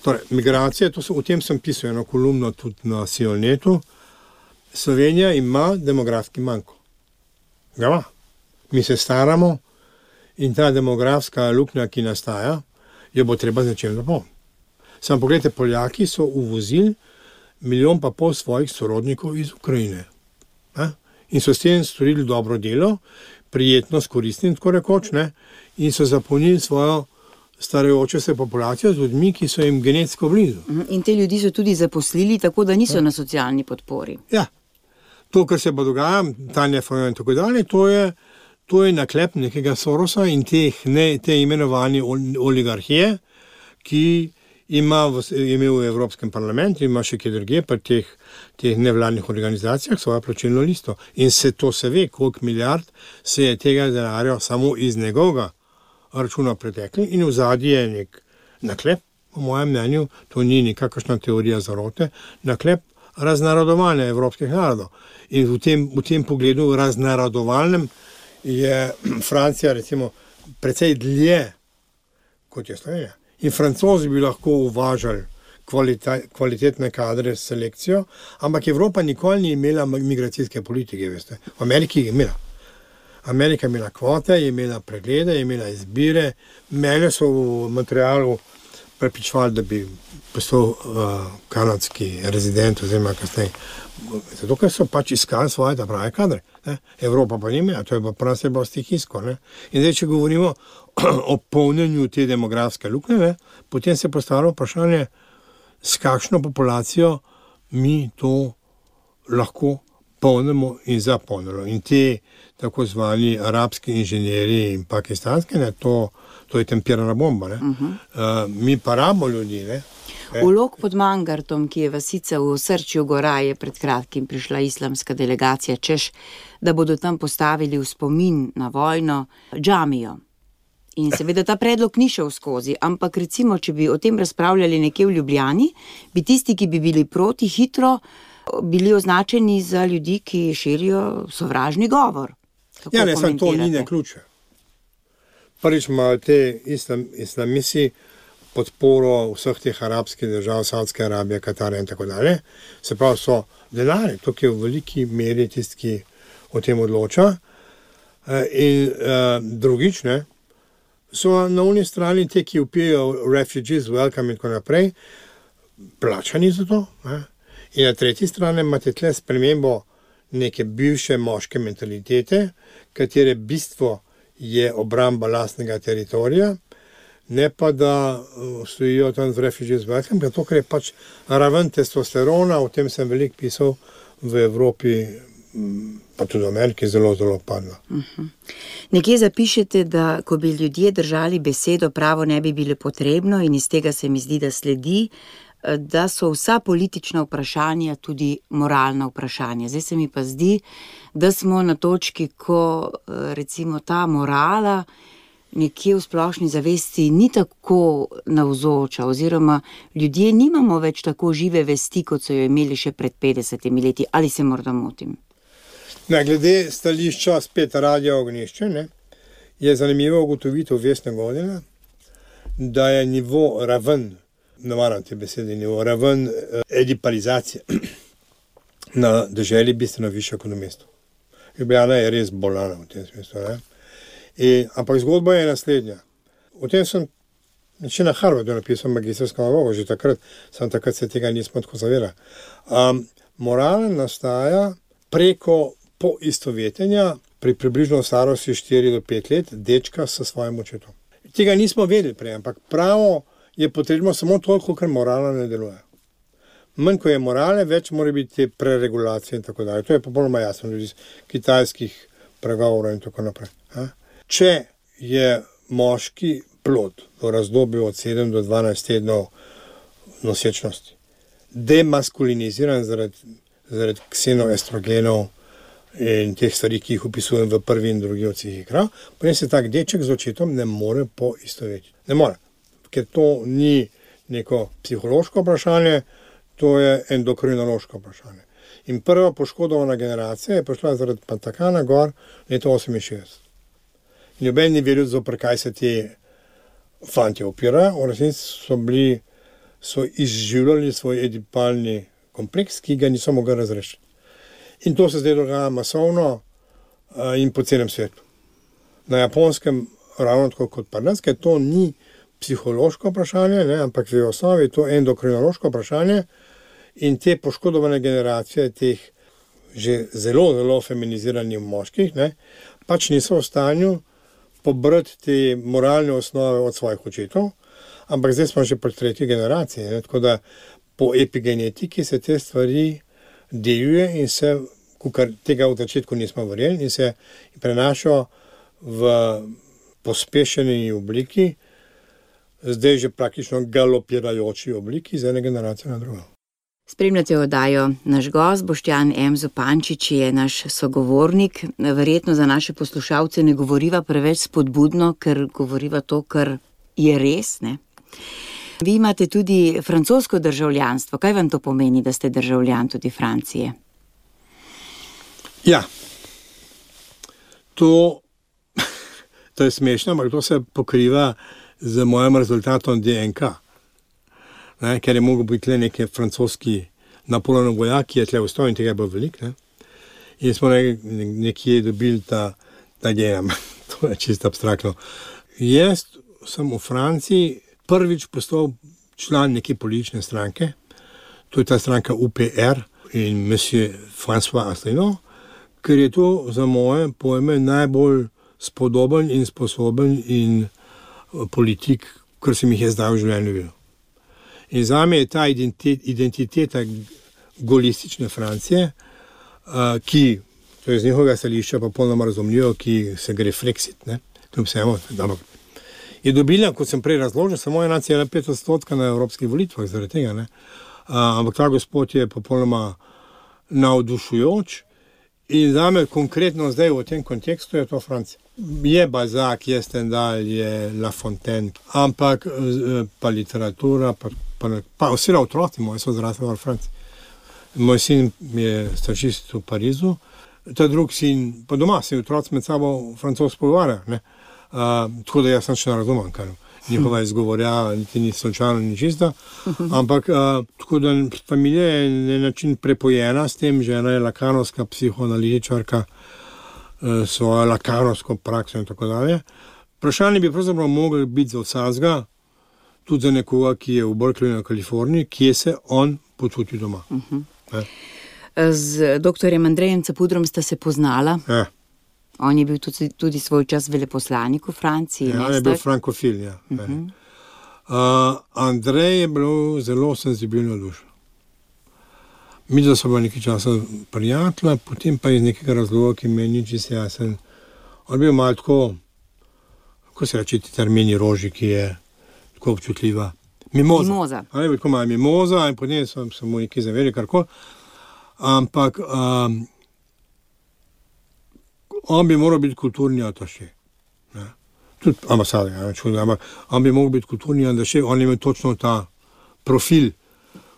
Torej, migracije, o tem sem pisal eno kolumno tudi na Sionnetu. Slovenija ima demografski manko. Ga. Mi se staramo in ta demografska luknja, ki nastaja, jo bo treba z nečem zapolniti. Samo pogledajte, Poljaki so uvozili 1,5 milijona svojih sorodnikov iz Ukrajine. In so s tem storili dobro delo, prijetno, koristno, tako rekoč, ne? In so zapolnili svojo starajočo se populacijo z ljudmi, ki so jim genetsko blizu. In te ljudi so tudi zaposlili, tako da niso na socialni podpori. Ja. To, kar se pa dogaja, Tanja Fajon in tako dalje, to je naklep nekega Sorosa in te imenovane oligarhije, ki je imel v Evropskem parlamentu, ima še kje druge, pa teh nevladnih organizacijah svojo plačilno listo. In se ve, koliko milijard se je tega denarja samo iz njegovega računa pretekli in v zadnji je nek naklep, po mojem mnenju, to ni nikakršna teorija zarote, naklep raznarodovanja evropskih narodov. In v tem pogledu raznarodovalnem je Francija recimo precej dlje, kot je Slovenija. In Francozi bi lahko uvažali kvalitetne kadre s selekcijo, ampak Evropa nikoli ni imela migracijske politike, veste. V Ameriki je imela. Amerika je imela kvote, je imela preglede, je imela izbire. Mene so v materialu prepričevali, da bi postal kanadski rezident oziroma kasneje. Zato, ker so pač iskali svoje prave kadre. Ne? Evropa pa nima, to je pa prav se bo stihijsko. In zdaj, če govorimo o polnjenju te demografske luknje, potem se postavlja vprašanje, s kakšno populacijo mi to lahko polnimo in zapolnimo. In te tako zvani arabski inženjeri in pakistanski, to je tempirana bomba. Mi pa rabimo ljudi. V Lok pod Mangartom, ki je vasica v osrčju gora, je pred kratkim prišla islamska delegacija, češ, da bodo tam postavili v spomin na vojno džamijo. In seveda ta predlog ni šel skozi, ampak recimo, če bi o tem razpravljali nekje v Ljubljani, bi tisti, ki bi bili proti, hitro bili označeni za ljudi, ki širijo sovražni govor. Ja, ne, samo to ni ključe. Prvič imajo te islamisi podporo vseh teh arabskih držav, Saudske Arabije, Katarja in tako dalje. Se pravi, so denarji, to je v veliki meri tisti, ki o tem odloča. In drugič, so na uni strani te, ki vpijajo refugees, welcome in tako naprej, plačani za to. In na tretji strani imate tle spremembo neke bivše moške mentalitete, katere bistvo je obramba lastnega teritorija, ne pa da stojijo tam z refugees, welcome, zato ker je pač raven testosterona, o tem sem veliko pisal, v Evropi, pa tudi v Ameriki, zelo, zelo padla. Nekje zapišete, da ko bi ljudje držali besedo, pravo ne bi bilo potrebno in iz tega se mi zdi, da sledi, da so vsa politična vprašanja tudi moralna vprašanja. Zdaj se mi pa zdi, da smo na točki, ko recimo ta morala nekje v splošni zavesti ni tako navzoča, oziroma ljudje nimamo več tako žive vesti, kot so jo imeli še pred 50 leti. Ali se morda motim? Glede stališča spet Radio Ognjišče, je zanimivo ugotovitev Vesne Godina, da je nivo raven, ne maram te besede, raven edipalizacije na deželi bistveno višja kot v mestu. Ljubljana je res bolana v tem smislu. Ampak zgodba je naslednja. O tem sem na Harvardu napisal magistrsko nalogo, že takrat se tega nismo tako zavedali. Morala nastaja preko poistovetenja pri približno starosti 4 do 5 let dečka s svojim očetom. Tega nismo vedeli prej, ampak pravo je potrebno samo toliko, ker morala ne deluje. Manj, ko je morale, več mora biti te preregulacije in tako dalje. To je popolnoma jasno iz kitajskih pregovorov in tako naprej. Če je moški plod v razdobju od 7 do 12 tednov nosečnosti demaskuliniziran zaradi ksenoestrogenov in teh stvari, ki jih opisujem v prvi in drugi odsih igra, potem se tak deček z očetom ne more poistovetiti. Ne more, ker to ni neko psihološko vprašanje, to je endokrinološko vprašanje. In prva poškodovana generacija je prišla zaradi Pantakana gor leta 68. Noben ni vedel, zopr kaj se ti fantje opirajo, v resnici so izživljali svoj edipalni kompleks, ki ga niso mogli razrešiti. In to se zdaj dogaja masovno in po celem svetu. Na Japonskem ravno tako kot pri nas, ker to ni psihološko vprašanje, ampak v osnovi je to endokrinološko vprašanje in te poškodovane generacije teh že zelo, zelo feminiziranih moških, pač niso v stanju pobrati te moralne osnove od svojih očetov, ampak zdaj smo že pri tretji generaciji, tako da po epigenetiki se te stvari deluje in se, kar tega v začetku nismo verjeli, in se prenašajo v pospešeni obliki zdaj že praktično galopirajoči obliki iz ene generacije na drugo. Spremljate oddajo. Naš gost Boštjan M. Zupančič je naš sogovornik. Verjetno za naše poslušalce ne govoriva preveč spodbudno, ker govoriva to, kar je res, ne? Vi imate tudi francosko državljanstvo. Kaj vam to pomeni, da ste državljan tudi Francije? Ja, to je smešno, ampak to se pokriva z mojim rezultatom DNK. Ne, ker je mogel biti le neki francoski Napoleonov vojak, ki je tle vstal in tega je bilo veliko. In smo nekje dobili ta gen. To je čisto abstraktno. Jaz sem v Franciji prvič postal član neke politične stranke. To je ta stranka UPR in monsieur François Asselineau, ker je to za moje pojme najbolj spodoben in sposoben in politik, kar sem jih je zdaj v življenju videl. In zame je ta identiteta golistične Francije, ki, to je z njihovega stališča pa polnoma razumljivo, ki se gre Frexit, ne, kljub vsemu, je dobila, kot sem prej razložil, samo 1,5% na evropskih volitvah zaradi tega, ne. Ampak ta gospod je popolnoma navdušujoč in zame konkretno zdaj v tem kontekstu je to Francija. Je Balzac, je Stendhal, je La Fontaine, ampak pa literatura, pa vsi otroci moji so zrasli v Franciji. Moj sin je stažist v Parizu, ta drug sin, pa doma se otroci med sabo francosko pogovarjajo, ne. Tako da jaz sem še ne razumem, kar njihova izgovorja, niti ni slučajno, ni čisto, ampak tako da familija je na način prepojena s tem, žena je lakanovska psihoanalitičarka, svojo lakanovsko prakso in tako dalje. Vprašanje bi pravzaprav mogli biti za vsazga, tudi za nekoga, ki je v Berkeleyju na Kaliforniji, kje se on počuti doma. Z doktorjem Andrejem Capudrom sta se poznala. Ja. On je bil tudi svoj čas veleposlanik v Franciji. Ja, je bil frankofil, ja. Andrej je bil zelo senzibilno dušo. Mi da so bila nekaj časa prijatelja, potem pa iz nekega razloga, ki meni čisto jasen. On je bil malo tako, kako se reče ti termini roži, ki je tako občutljiva. Mimoza. On je bil tako malo mimoza in potem sem mu nekaj zaveril, karkoli. Ampak on bi moral biti kulturni ataše. Tudi ambasador, ampak on bi moral biti kulturni ataše, on je imel točno ta profil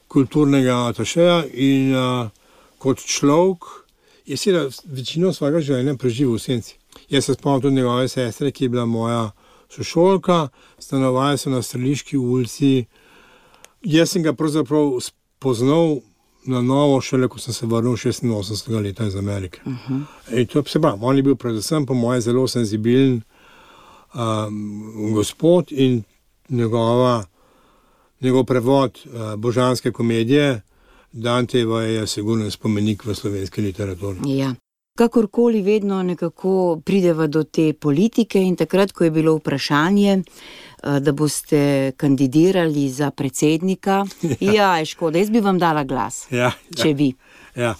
kulturnega atašeja in kot človek je seveda večino svojega življenja preživel v senci. Jaz se spomnim tudi njegove sestre, ki je bila moja sošolka, stanovali so na Streliški ulici. Jaz sem ga pravzaprav spoznal na novo šele, ko sem se vrnil 86. leta iz Amerike. In to se pravi, on je bil predvsem po moje zelo senzibilen gospod in njegov prevod božanske komedije Dantejeva je sigurno spomenik v slovenski literaturi. Ja. Kakorkoli vedno nekako prideva do te politike in takrat, ko je bilo vprašanje, da boste kandidirali za predsednika, ja, je škoda, jaz bi vam dala glas, če vi. Ja.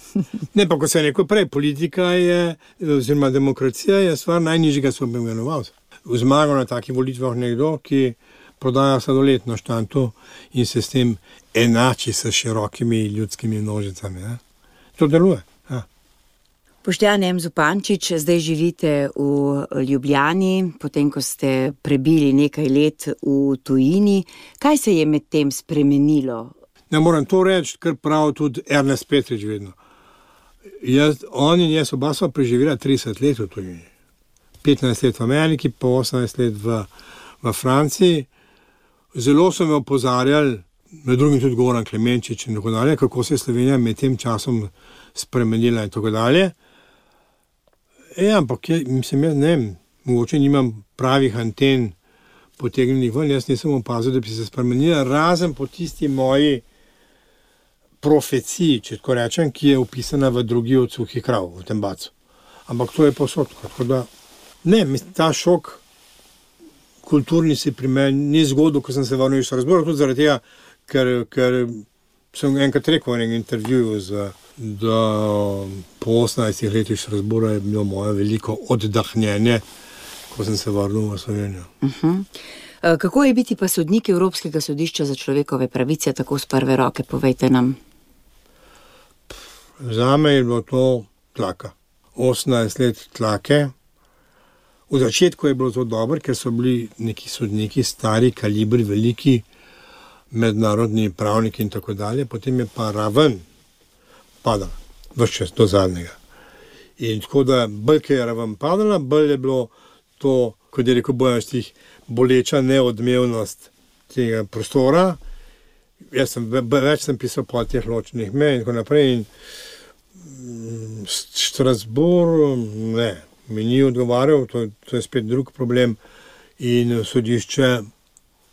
Ne, pa ko se je rekel prej, politika je, oziroma demokracija je stvar najnižjega subvencionovalca. V zmago na takih volitvah nekdo, ki prodaja sladoletno štanto in se s tem enači s širokimi ljudskimi množicami. Ne? To deluje. Ja. Boštjan M. Zupančič, zdaj živite v Ljubljani, potem ko ste prebili nekaj let v tujini. Kaj se je med tem spremenilo? Ne moram to reči, kar pravi tudi Ernest Petrič vedno. On in jaz oba sva preživela 30 let v tujini. 15 let v Ameriki, pa 18 let v Franciji. Zelo so me opozarjali, med drugim tudi Goran Klemenčič in tako dalje, kako se je Slovenija med tem časom spremenila in tako dalje. Ampak mislim, jaz ne vem, mogoče nimam pravih anten potegnjenih ven, jaz nisem opazil, da bi se spremenila, razen po tisti moji profeciji, če tako rečem, ki je opisana v drugi od Suhih krav, v tem bacu. Ampak to je posod, tako da ne, ta šok kulturni si pri meni ni zgodil, ko sem se vrnil iz Strasbourga, tudi zaradi tega, ker sem enkrat rekel v enem intervjuju, da po 18 letih Strasbourga je bilo moje veliko oddahnjenje, ko sem se vrnil v Slovenijo. Kako je biti pa sodnik Evropskega sodišča za človekove pravice, tako z prve roke, povejte nam. Zame je bilo to tlaka. 18 let tlake. V začetku je bilo to dobro, ker so bili neki sodniki, stari, kalibri, veliki, mednarodni pravniki in tako dalje. Potem je pa raven padala, vse čas do zadnjega. In tako da, bolj je raven padala, bolj je bilo to, kot je rekel Bojan Štih, boleča neodmevnost tega prostora. Jaz sem pisal po teh ločenih mej in tako naprej. In Strasbourg, ne, mi ni odgovarjal, to je spet drug problem. In sodišče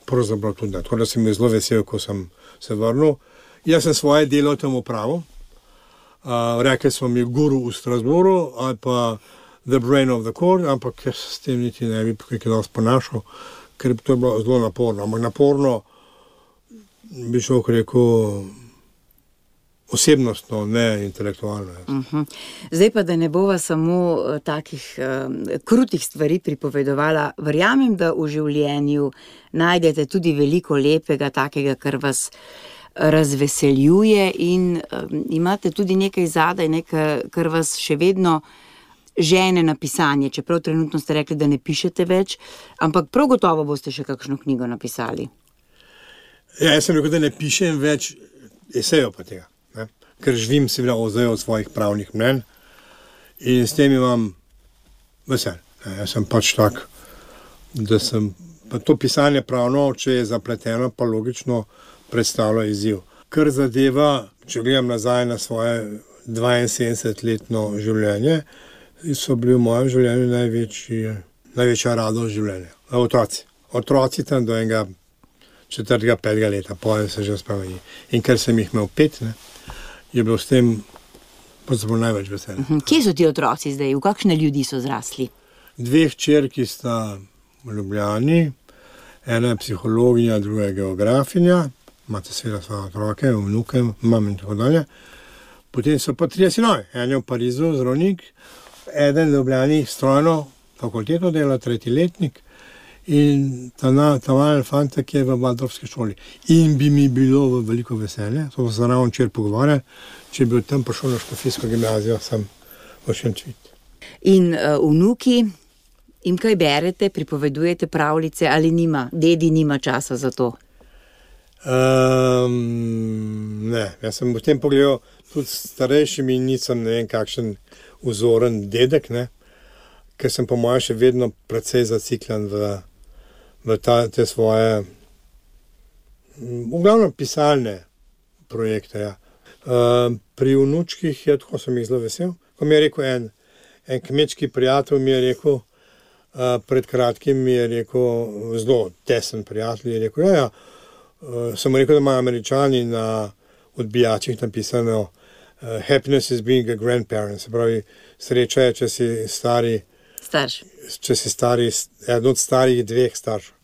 pravzaprav tudi ne. Tako da sem bil zelo vesel, ko sem se vrnil. Jaz sem svoje delo tam opravil. Rekli smo mi guru v Strasbourgu ali pa the brain of the court, ampak jaz s tem niti ne bi kaj dosti ponašal, ker to je bilo zelo naporno. Ampak naporno bi šel, rekel, osebnostno, ne intelektualno. Zdaj pa, da ne bova samo takih krutih stvari pripovedovala, verjamem, da v življenju najdete tudi veliko lepega, takega, kar vas razveseljuje in imate tudi nekaj zadaj, kar vas še vedno žene na pisanje, čeprav trenutno ste rekli, da ne pišete več, ampak prav gotovo boste še kakšno knjigo napisali. Ja, jaz sem rekel, da ne pišem več esejev pa tega, ne? Ker živim seveda od svojih pravnih mnenj in s tem imam vesel. Jaz sem pač tak, da sem pa to pisanje pravno, če je zapleteno, pa logično predstavlja izziv. Kar zadeva, če gledam nazaj na svoje 72-letno življenje, so bili v mojem življenju največja radost življenja. Otroci. Otroci tam do enega 4., 5. leta, potem se že spremeni. In ker sem jih imel 5, ne, je bilo s tem največ veselja. Kje so ti otroci zdaj? V kakšne ljudi so zrasli? 2 hčerki sta v Ljubljani, ena je psihologinja, druga je geografinja, imate seveda svoje otroke, vnuke, mam in tako dalje. Potem so pa 3 sinovi, en je v Parizu, zdravnik, eden v Ljubljani strojno fakulteto dela, 3. letnik, in ta malen fantek je v Waldorfski šoli. In bi mi bilo v veliko veselje, to se ravno včeraj pogovarjali, če bi tam prišel na škofijsko gimnazijo, sem v Šentvitu. In vnuki, jim kaj berete, pripovedujete pravljice ali dedi nima časa za to? Ne, jaz sem v tem pogledal tudi starejšim in nisem ne vem kakšen vzoren dedek, ne, ker sem po mojem še vedno precej zaciklen v te svoje v glavnem pisalne projekte. Ja. Pri vnučkih je, tako sem jih zelo vesel, ko mi je rekel en kmečki prijatelj, mi je rekel, pred kratkim mi je rekel, zelo tesen prijatelj, je rekel, sem rekel, da imajo Američani na odbijačih napisano happiness is being a grandparent, se pravi, sreča je, če si stari starš. Če si stari, eden od starih 2 staršev.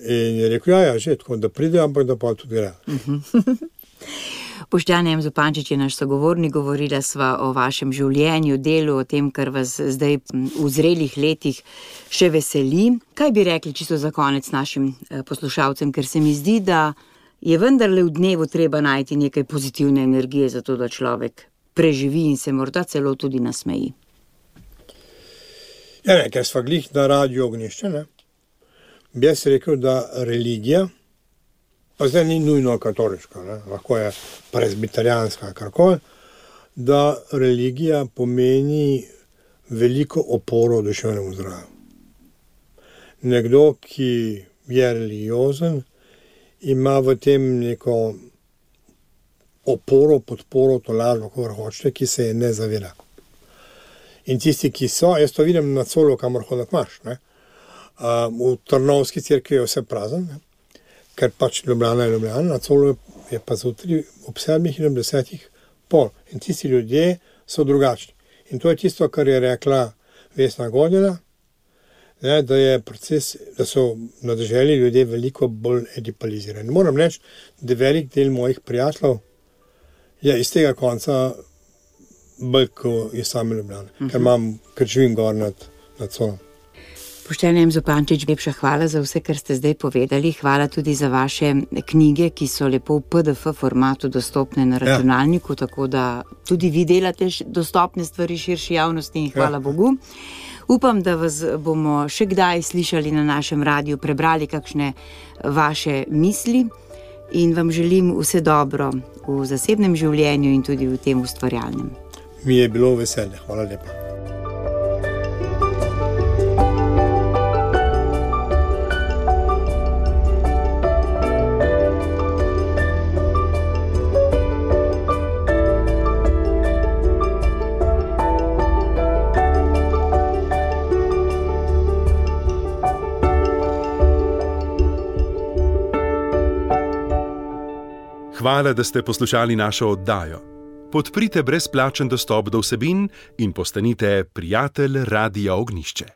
In je rekel, že tako, da pride, ampak da pa tudi gre. Boštjan M. Zupančič je naš sogovornik, govorila sva o vašem življenju, delu, o tem, kar vas zdaj v zrelih letih še veseli. Kaj bi rekli čisto za konec našim poslušalcem, ker se mi zdi, da je vendarle v dnevu treba najti nekaj pozitivne energije, zato da človek preživi in se morda celo tudi nasmeji. Ja, ker sva glih na Radiu Ognjišče, ne, bi jaz rekel, da religija, pa zdaj ni nujno katoliška, ne, lahko je presbiterijanska, karkoli, da religija pomeni veliko oporo duševnemu zdravju. Nekdo, ki je religiozen, ima v tem neko oporo, podporo, tolažbo, kako hočete, ki se je ne zaveda. In tisti, ki so, jaz to vidim na Colu, kamor hodak imaš, ne. V Trnovski cerkvi je vse prazen, ne, ker pač Ljubljana je Ljubljana, na Colu je pa zjutraj ob 7 in ob 10 pol. In tisti ljudje so drugačni. In to je tisto, kar je rekla Vesna Godina, ne, da je proces, da so na deželi ljudje veliko bolj edipalizirani. Moram reči, da velik del mojih prijateljev je iz tega konca bolj, ko je same Ljubljane, ker živim gor nad Colom. Boštjan M. Zupančič, lepša hvala za vse, kar ste zdaj povedali. Hvala tudi za vaše knjige, ki so lepo v PDF formatu dostopne na računalniku, tako da tudi vi delate dostopne stvari širši javnosti in hvala Bogu. Upam, da vas bomo še kdaj slišali na našem radiju, prebrali kakšne vaše misli in vam želim vse dobro v zasebnem življenju in tudi v tem ustvarjalnem. Mi je bilo veselje. Hvala lepa. Hvala, da ste poslušali našo oddajo. Podprite brezplačen dostop do vsebin in postanite prijatelj Radia Ognjišče.